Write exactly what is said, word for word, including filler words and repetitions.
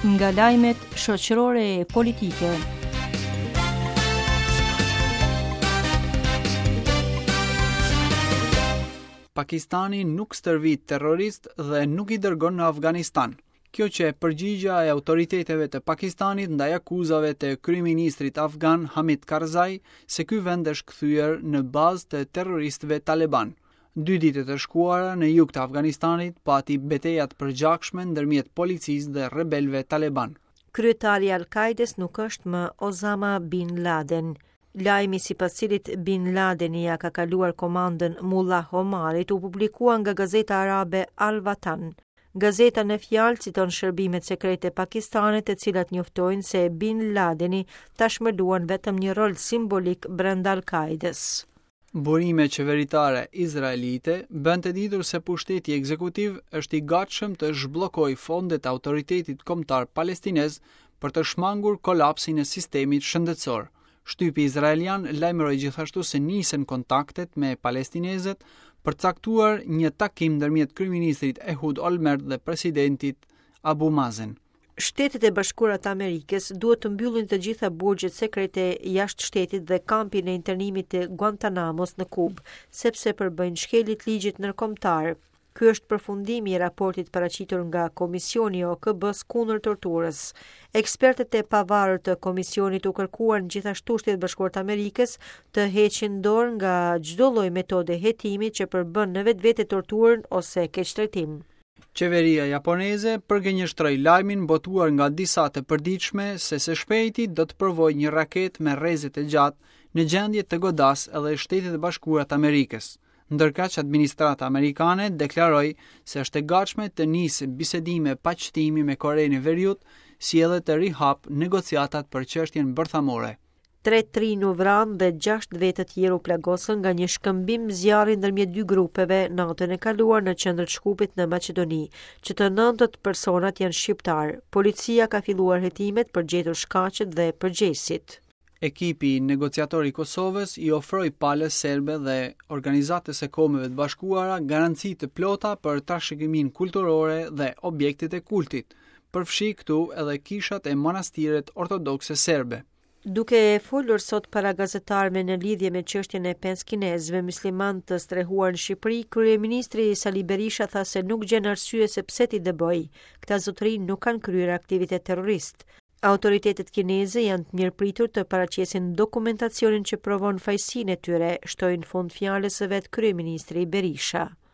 Nga lajmet shoqërore e politike. Pakistani nuk stërvit terrorist dhe nuk i dërgon në Afganistan. Kjo qe përgjigja e autoriteteve të Pakistanit ndaj akuzave të kryeministrit afgan Hamid Karzai se ky vend është kthyer në bazë të terroristëve taleban. Dy ditët e shkuara në jug të Afganistanit pati beteja të përgjakshme ndërmjet policisë dhe rebelëve taleban. Kryetari i Al-Qaedes nuk është më Osama Bin Laden. Lajmi sipas cilit Bin Ladeni ja ka kaluar komandën Mullah Omarit u publikua nga gazeta arabe Al-Watan. Gazeta në fjalë citon shërbimet sekrete pakistane, të cilat njoftojnë se Bin Ladeni tashmë luan vetëm një rol simbolik brenda Al-Qaedes. Burime qeveritare izraelite bën të ditur se pushteti ekzekutiv është i gatshëm të zhbllokojë fondet e autoritetit kombëtar palestinez për të shmangur kolapsin e sistemit shëndetësor. Shtypi izraelian lajmëroi gjithashtu se nisën kontaktet me palestinezët për të caktuar një takim ndërmjet kryeministrit Ehud Olmert dhe presidentit Abu Mazen. Shtetet e Bashkuara të Amerikës duhet të mbyllin të gjitha burgjet sekrete jashtë shtetit dhe kampin e internimit të Guantanamos në Kubë, sepse përbëjnë shkelje të ligjit ndërkombëtar. Ky është përfundimi i raportit paraqitur nga Komisioni i O K B-s kundër torturës. Ekspertët e pavarur të komisionit u kërkuan gjithashtu Shtetet e Bashkuara të Amerikës të heqin dorë nga çdo lloj metode hetimi që përbën në vetvete torturën ose keqtrajtim. Qeveria japoneze përgënjeshtroi lajmin botuar nga disa të përditshme se së shpejti do të provojë një raketë me rreze të gjatë në gjendje të godasë edhe Shtetet e Bashkuara të Amerikës. Ndërkaq administrata amerikane deklaroi se është e gatshme të nisë bisedime paqëtimi me Korenë e Veriut, si edhe të rihap negociatat për çështjen bërthamore. Tre të rinj u vranë dhe gjashtë vetë të tjerë u plagosën nga një shkëmbim zjarri ndërmjet dy grupeve natën e kaluar në qendër të Shkupit në Maqedoni, që të nëntët personat janë shqiptar. Policia ka filluar hetimet për gjetur shkaqet dhe përgjegjësit. Ekipi negociator i Kosovës i ofroi palës serbe dhe Organizatës së Kombeve të Bashkuara garanci të plota për trashëgiminë kulturore dhe objektet e kultit, përfshi këtu edhe kishat e monastiret ortodokse serbe. Duke folur sot para gazetarëve në lidhje me çështjen e pesë kinezëve musliman të strehuar në Shqipëri, kryeministri Sali Berisha tha se nuk gjen arsye se pse t'i dëboj. Këta zotëri nuk kanë kryer aktivitet terrorist. Autoritetet kineze janë të mirëpritur të paraqesin dokumentacionin që provon fajsinë e tyre, shtoi në fund fjalës së vet kryeministri Berisha.